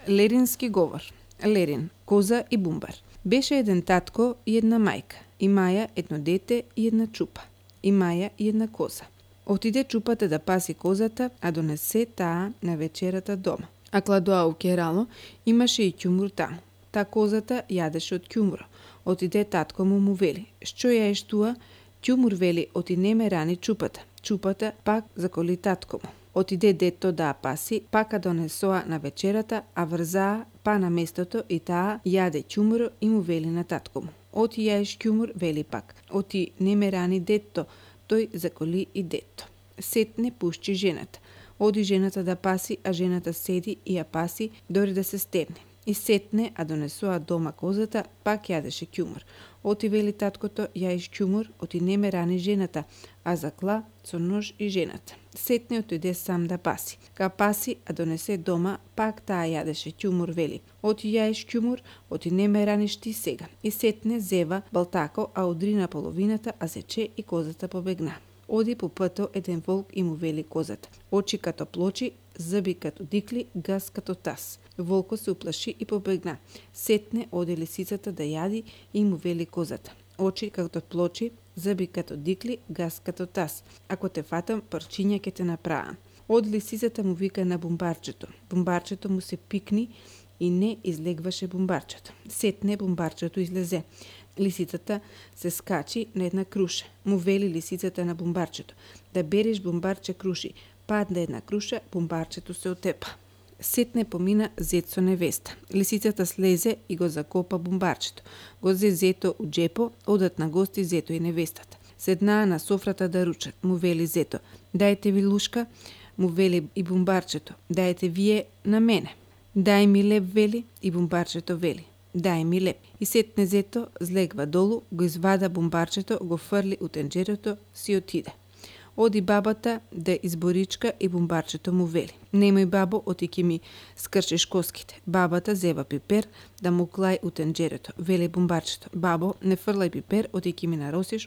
Лерински говор. Лерин, коза и бумбар. Беше еден татко и една мајка. Имаја едно дете и една чупа. Имаја и една коза. Отиде чупата да паси козата, а донесе таа на вечерата дома. А кладоа у керало имаше и ќумур таму. Та козата јадеше од ќумура. Отиде татко му вели: "Што јаеш туа?" Ќумур вели: "Оти не ме рани чупата." Чупата пак заколи татко му. Отиде дето да паси, пака донесоа на вечерата, а врзаа па на местото и таа јаде ќумур и му вели на татко му: "Оти јаеш ќумур", вели пак. "Оти не ме рани дето." Тој заколи и дето. Сетне пушчи жената. Оди жената да паси, а жената седи и ја паси дори да се стемне. И сетне, а донесоа дома козата, пак јадеше ќумур. Оти вели таткото: "Јаеш ќумур, оти не ме рани жената", а закла со нож и жената. Сетне отиде сам да паси. Ка паси, а донесе дома, пак таа јадеше ќумур, вели: "Оти јаеш ќумур, оти не ме раниш ти сега." И сетне зева балтако, а удрина половината, а зече и козата побегна. Оди по пато еден волк и му вели козата: "Очи като плочи, зъби като дикли, гас като таз." Волко се уплаши и побегна. Сетне оди лисицата да јади и му вели козата: "Очи като плочи, зъби като дикли, гас като таз. Ако те фатам, парчиња ќе те направам." Оди лисицата му вика на бумбарчето. Бумбарчето му се пикни и не излегваше бумбарчето. Сетне бумбарчето излезе. Лисицата се скачи на една круша. Му вели лисицата на бумбарчето: "Да береш бумбарче круши." Падна една круша, бумбарчето се отепа. Сетне помина зет со невеста. Лисицата слезе и го закопа бумбарчето. Го зе зето у џепо, одат на гости зето и невестата. Седнаа на софрата да ручат. Му вели зето: "Дајте ви лушка." Му вели и бумбарчето: "Дајте вие на мене." "Дај ми леп", вели, и бумбарчето вели: "Дај ми леп." И сетне зето злегва долу, го извада бумбарчето, го фрли у тенџерето, си отиде. Оди бабата да изборичка и бумбарчето му вели: "Немој, бабо, оти ќе ми скршиш коските." Бабата зева пипер да му клај у тенџерето. Вели бумбарчето: "Бабо, не фрлај пипер, оти ќе ми наросиш